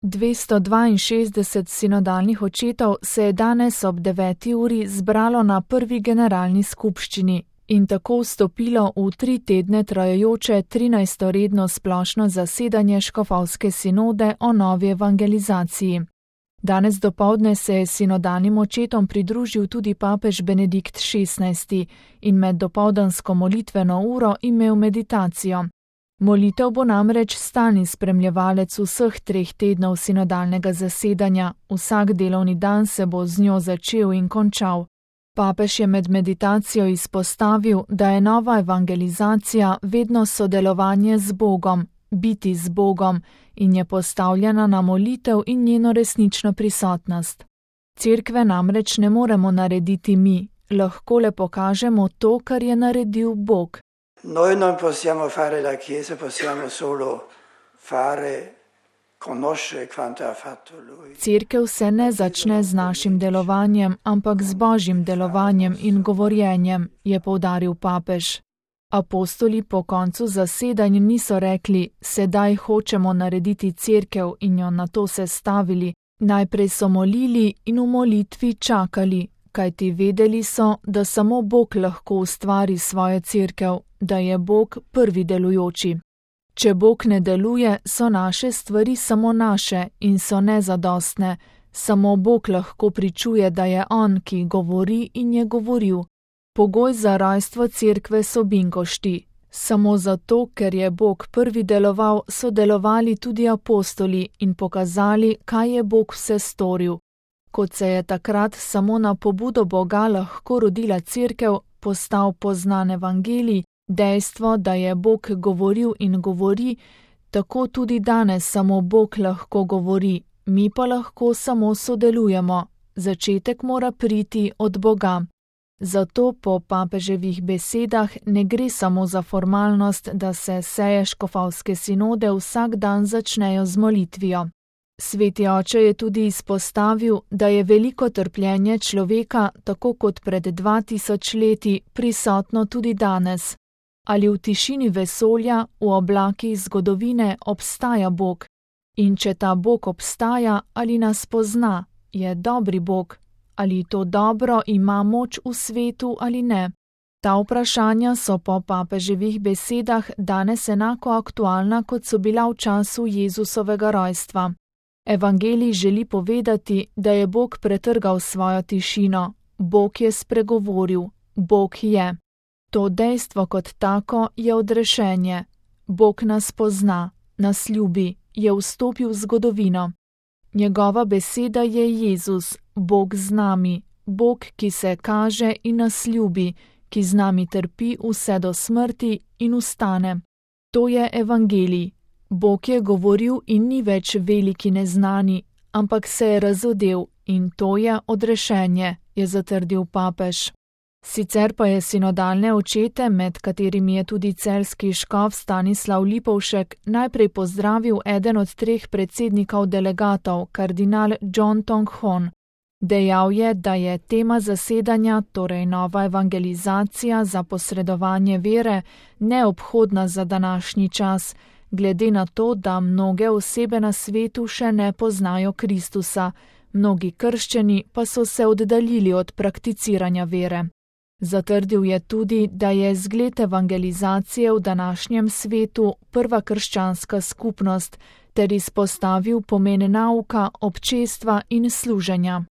262 sinodalnih očetov se je danes ob 9. uri zbralo na prvi generalni skupščini in tako vstopilo v 3 tedne trajajoče 13. redno splošno zasedanje škofovske sinode o novi evangelizaciji. Danes dopoldne se je sinodalnim očetom pridružil tudi papež Benedikt XVI in med dopoldansko molitveno uro imel meditacijo. Molitev bo namreč stalni spremljevalec vseh 3 tednov sinodalnega zasedanja, vsak delovni dan se bo z njo začel in končal. Papež je med meditacijo izpostavil, da je nova evangelizacija vedno sodelovanje z Bogom, biti z Bogom in je postavljena na molitev in njeno resnično prisotnost. Cerkve namreč ne moremo narediti mi, lahko le pokažemo to, kar je naredil Bog. Noi non possiamo fare la Chiesa, possiamo solo fare, conoscere quanto ha fatto Lui. Cerkev se ne začne z našim delovanjem, ampak z Božjim delovanjem in govorjenjem, je poudaril papež. Apostoli po koncu zasedanj niso rekli, sedaj hočemo narediti cerkev in jo nato sestavili. Najprej so molili in v molitvi čakali, kajti vedeli so, da samo Bog lahko ustvari svojo cerkev, da je Bog prvi delujoči. Če Bog ne deluje, so naše stvari samo naše in so nezadostne. Samo Bog lahko pričuje, da je On, ki govori in je govoril. Pogoj za rojstvo cerkve so binkošti. Samo zato, ker je Bog prvi deloval, so delovali tudi apostoli in pokazali, kaj je Bog vse storil. Kot se je takrat samo na pobudo Boga lahko rodila cerkev, postal poznan evangelij, dejstvo, da je Bog govoril in govori, tako tudi danes samo Bog lahko govori, mi pa lahko samo sodelujemo. Začetek mora priti od Boga. Zato po papeževih besedah ne gre samo za formalnost, da se seje škofovske sinode vsak dan začnejo z molitvijo. Sveti oče je tudi izpostavil, da je veliko trpljenje človeka, tako kot pred 2000 leti, prisotno tudi danes. Ali v tišini vesolja, v oblakih zgodovine obstaja Bog? In če ta Bog obstaja, ali nas pozna, je dobri Bog? Ali to dobro ima moč v svetu ali ne? Ta vprašanja so po papeževih besedah danes enako aktualna, kot so bila v času Jezusovega rojstva. Evangelij želi povedati, da je Bog pretrgal svojo tišino. Bog je spregovoril. Bog je. To dejstvo kot tako je odrešenje. Bog nas pozna, nas ljubi, je vstopil v zgodovino. Njegova beseda je Jezus, Bog z nami, Bog, ki se kaže in nas ljubi, ki z nami trpi vse do smrti in vstane. To je evangelij. Bog je govoril in ni več veliki neznani, ampak se je razodel in to je odrešenje, je zatrdil papež. Sicer pa je sinodalne očete, med katerimi je tudi celjski škof Stanislav Lipovšek, najprej pozdravil eden od 3 predsednikov delegatov, kardinal John Tong Hon. Dejal je, da je tema zasedanja, torej nova evangelizacija za posredovanje vere, neobhodna za današnji čas, glede na to, da mnoge osebe na svetu še ne poznajo Kristusa, mnogi krščani pa so se oddaljili od prakticiranja vere. Zatrdil je tudi, da je zgled evangelizacije v današnjem svetu prva krščanska skupnost, ter izpostavil pomen nauka, občestva in služenja.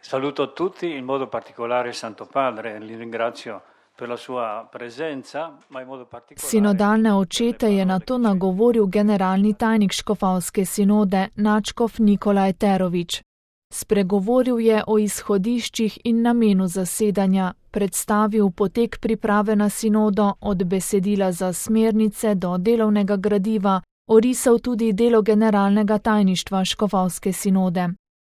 Saluto tutti in modo particolare Santo Padre, li ringrazio per la sua presenza, ma in modo particolare. Sinodalne očete je nato nagovoril generalni tajnik škofovske sinode, nadškof Nikola Eterović. Spregovoril je o izhodiščih in namenu zasedanja, predstavil potek priprave na sinodo od besedila za smernice do delovnega gradiva, orisal tudi delo generalnega tajništva škofovske sinode.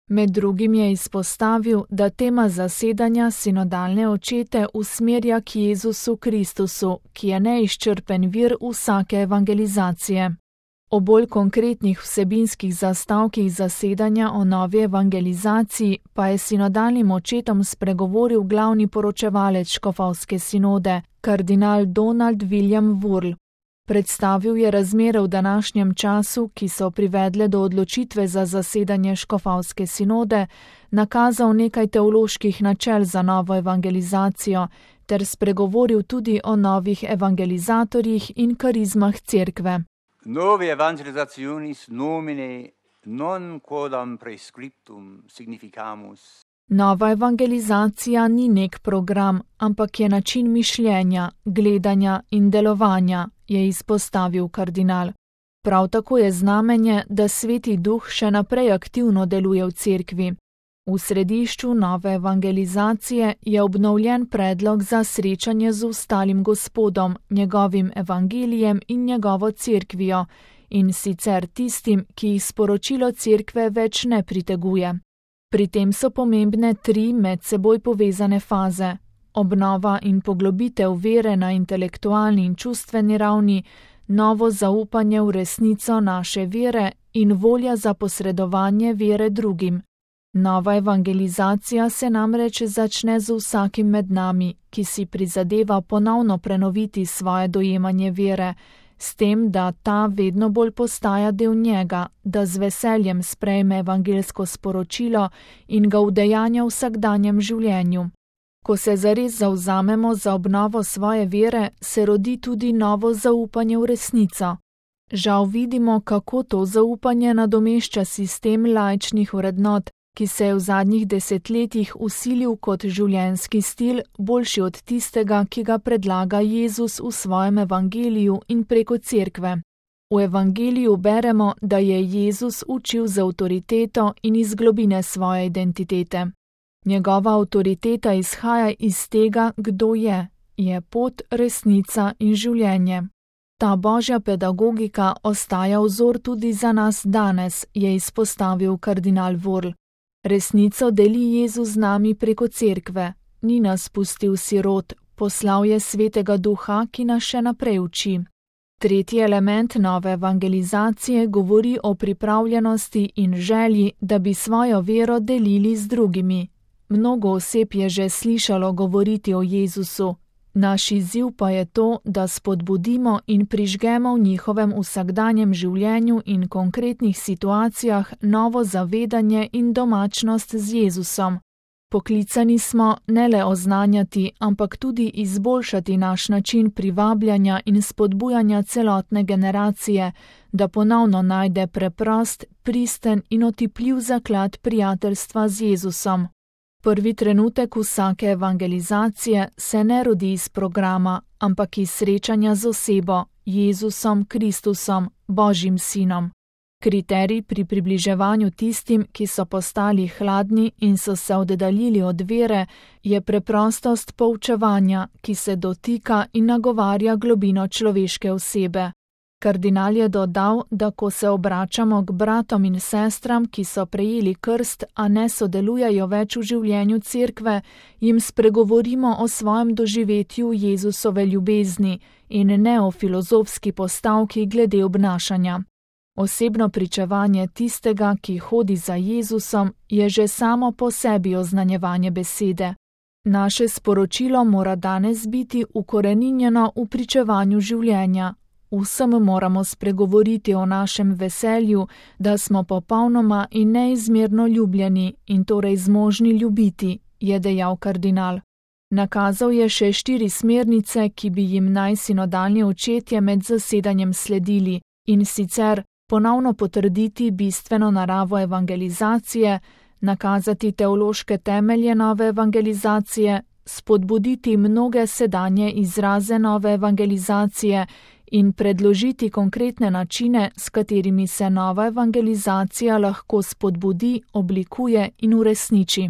Med drugim je izpostavil, da tema zasedanja sinodalne očete usmerja k Jezusu Kristusu, ki je neizčrpen vir vsake evangelizacije. O bolj konkretnih vsebinskih zastavkih zasedanja o novi evangelizaciji pa je sinodalnim očetom spregovoril glavni poročevalec škofovske sinode, kardinal Donald William Wurl. Predstavil je razmere v današnjem času, ki so privedle do odločitve za zasedanje škofovske sinode, nakazal nekaj teoloških načel za novo evangelizacijo ter spregovoril tudi o novih evangelizatorjih in karizmah cerkve. Novi evangelizationis nomine non quodam prescriptum significamus. Nova evangelizacija ni nek program, ampak je način mišljenja, gledanja in delovanja, je izpostavil kardinal. Prav tako je znamenje, da Sveti Duh še naprej aktivno deluje v cerkvi. V središču nove evangelizacije je obnovljen predlog za srečanje z ostalim Gospodom, njegovim evangelijem in njegovo cerkvijo, in sicer tistim, ki jih sporočilo cerkve več ne priteguje. Pri tem so pomembne 3 med seboj povezane faze: obnova in poglobitev vere na intelektualni in čustveni ravni, novo zaupanje v resnico naše vere in volja za posredovanje vere drugim. Nova evangelizacija se namreč začne z vsakim med nami, ki si prizadeva ponovno prenoviti svoje dojemanje vere, s tem, da ta vedno bolj postaja del njega, da z veseljem sprejme evangelsko sporočilo in ga udejanja v vsakdanjem življenju. Ko se zares zavzamemo za obnovo svoje vere, se rodi tudi novo zaupanje v resnico. Žal vidimo, kako to zaupanje nadomešča sistem laičnih vrednot, ki se je v zadnjih desetletjih vsilil kot življenjski stil, boljši od tistega, ki ga predlaga Jezus v svojem evangeliju in preko cerkve. V evangeliju beremo, da je Jezus učil z avtoriteto in iz globine svoje identitete. Njegova avtoriteta izhaja iz tega, kdo je pot, resnica in življenje. Ta božja pedagogika ostaja vzor tudi za nas danes, je izpostavil kardinal Worl. Resnico deli Jezus z nami preko cerkve, ni nas pustil sirot, poslal je Svetega Duha, ki nas še naprej uči. Tretji element nove evangelizacije govori o pripravljenosti in želji, da bi svojo vero delili z drugimi. Mnogo oseb je že slišalo govoriti o Jezusu. Naš izziv pa je to, da spodbudimo in prižgemo v njihovem vsakdanjem življenju in konkretnih situacijah novo zavedanje in domačnost z Jezusom. Poklicani smo ne le oznanjati, ampak tudi izboljšati naš način privabljanja in spodbujanja celotne generacije, da ponovno najde preprost, pristen in otipljiv zaklad prijateljstva z Jezusom. Prvi trenutek vsake evangelizacije se ne rodi iz programa, ampak iz srečanja z osebo, Jezusom Kristusom, Božjim Sinom. Kriterij pri približevanju tistim, ki so postali hladni in so se oddaljili od vere, je preprostost poučevanja, ki se dotika in nagovarja globino človeške osebe. Kardinal je dodal, da ko se obračamo k bratom in sestram, ki so prejeli krst, a ne sodelujejo več v življenju cerkve, jim spregovorimo o svojem doživetju Jezusove ljubezni in ne o filozofski postavki glede obnašanja. Osebno pričevanje tistega, ki hodi za Jezusom, je že samo po sebi oznanjevanje besede. Naše sporočilo mora danes biti ukoreninjeno v pričevanju življenja. Vsem moramo spregovoriti o našem veselju, da smo popolnoma in neizmerno ljubljeni in torej zmožni ljubiti, je dejal kardinal. Nakazal je še 4 smernice, ki bi jim naj sinodalni očetje med zasedanjem sledili, in sicer ponovno potrditi bistveno naravo evangelizacije, nakazati teološke temelje nove evangelizacije, spodbuditi mnoge sedanje izraze nove evangelizacije in predložiti konkretne načine, s katerimi se nova evangelizacija lahko spodbudi, oblikuje in uresniči.